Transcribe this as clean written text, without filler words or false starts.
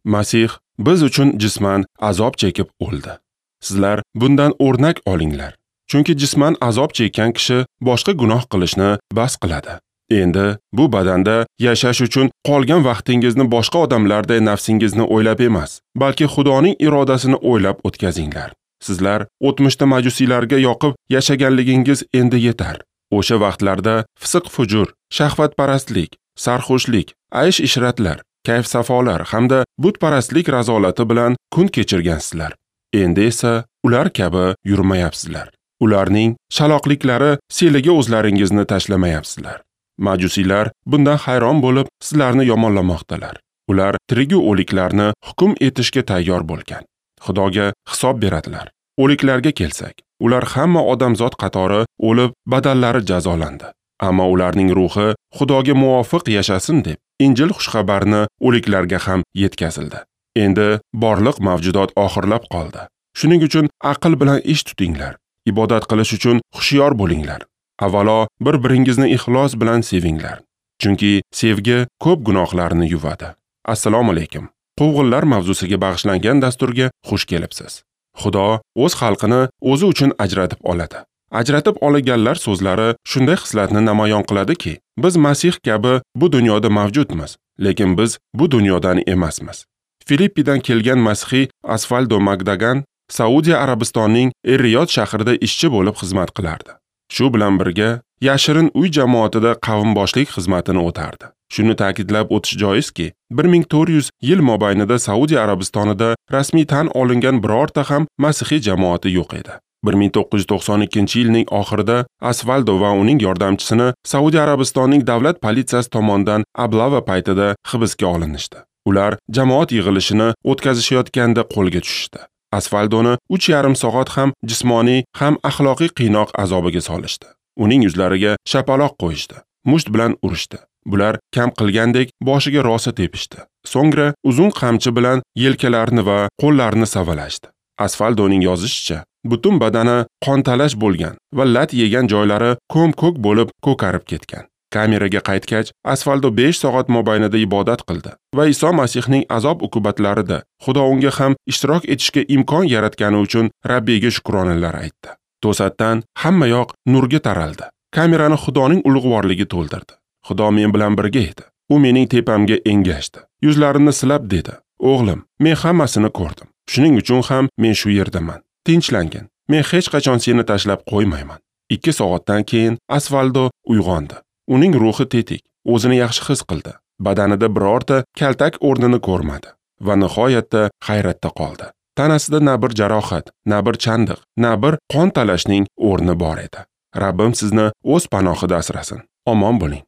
Masih biz uchun jisman azob chekib o'ldi. Sizlar bundan o'rnak olinglar. Chunki jisman azob chekkan kishi boshqa gunoh qilishni bas qiladi. Endi bu badanda yashash uchun qolgan vaqtingizni boshqa odamlarday nafsingizni o'ylab emas, balki Xudoning irodasini o'ylab o'tkazinglar. Sizlar o'tmishda majusiylarga yoqib yashaganligingiz endi yetar. O'sha vaqtlarda fisq-fujur, shahvatparastlik, sarxushlik, aysh-ishratlar, kayf-safolar hamda butparastlik razolati bilan kun kechirgansizlar. Endi esa ular kabi yurmayapsizlar. Ularning shaloqliklari seliga o'zlaringizni tashlamayapsizlar. Majusiylar bundan hayron bo'lib, sizlarni yomonlamoqdalar. Ular tirigu o'liklarni hukm etishga tayyor bo'lgan. Xudoga hisob beradilar. O'liklarga kelsak, ular hamma odamzod qatori o'lib, badallari jazolandi. Ammo ularning ruhi Xudoga muvofiq yashasin deb Injil xushxabarini o'liklarga ham yetkazildi. Endi borliq mavjudot oxirlab qoldi. Shuning uchun aql bilan ish tutinglar. Ibodat qilish uchun hushyor bo'linglar. Avvalo bir-biringizni ixlos bilan sevinglar. Chunki sevgi ko'p gunohlarni yuvadi. Assalomu alaykum. Quvg'inlar mavzusiga bag'ishlangan dasturga xush kelibsiz. Xudo o'z xalqini o'zi uchun ajratib oladi. Ajratib olganlar so'zlari shunday xislatni namoyon qiladiki, biz Masih kabi bu dunyoda mavjudmiz, lekin biz bu dunyodan emasmiz. Filippidan kelgan masihiy Asfaldo Magdagan Saudiya Arabistonining Er-Riyod shahrida ishchi bo'lib xizmat qilardi. Shu bilan birga yashirin uy jamoatida qavmboshlik xizmatini o'tardi. Shuni ta'kidlab o'tish joizki, 1400 yil mobaynida Saudiya Arabistonida rasmiy tan olingan birorta ham masihiy jamoati yo'q edi. 1992-yilning oxirida Asfaldo va uning yordamchisini Saudiya Arabistonining davlat politsiyasi tomonidan ablava paytida hibsga olinishdi. Ular jamoat yig'ilishini o'tkazishayotganda qo'lga tushishdi. Asfaldoni 3,5 soat ham jismoniy, ham axloqiy qiynoq azobiga solishdi. Uning yuzlariga shapaloq qo'yishdi, musht bilan urishdi. Bular kam qilgandek boshiga rosa tepishdi. So'ngra uzun qamchi bilan yelkalarini va qo'llarini savalashdi. Asfaldoning yozishicha, butun badani qontalash bo'lgan va lat yegan joylari ko'm-ko'k bo'lib ko'karib ketgan. Kameraga qaytgach, Asfaldo 5 soat mobaynida ibodat qildi va Iso Masihning azob uqubatlarida Xudo unga ham ishtirok etishga imkon yaratgani uchun Rabbiga shukronalar aytdi. To'satdan hamma yoq nurga taraldi. Kamerani Xudoning ulug'vorligi to'ldirdi. Xudo men bilan birga edi. U mening tepamga engashdi. Yuzlarimni silab dedi: "O'g'lim, men hammasini ko'rdim. Shuning uchun ham men shu yerdaman. Tinchlangin. Men hech qachon seni tashlab qo'ymayman." 2 soatdan keyin Asfaldo uyg'ondi. Uning ruhi tetik, o'zini yaxshi his qildi. Badanida birorta kaltak o'rnini ko'rmadi va nihoyatda hayratda qoldi. Tanasida na bir jarohat, na bir chandiq, na bir qon talashning o'rni bor edi. Rabbim sizni o'z panohida asrasin. Omon bo'ling.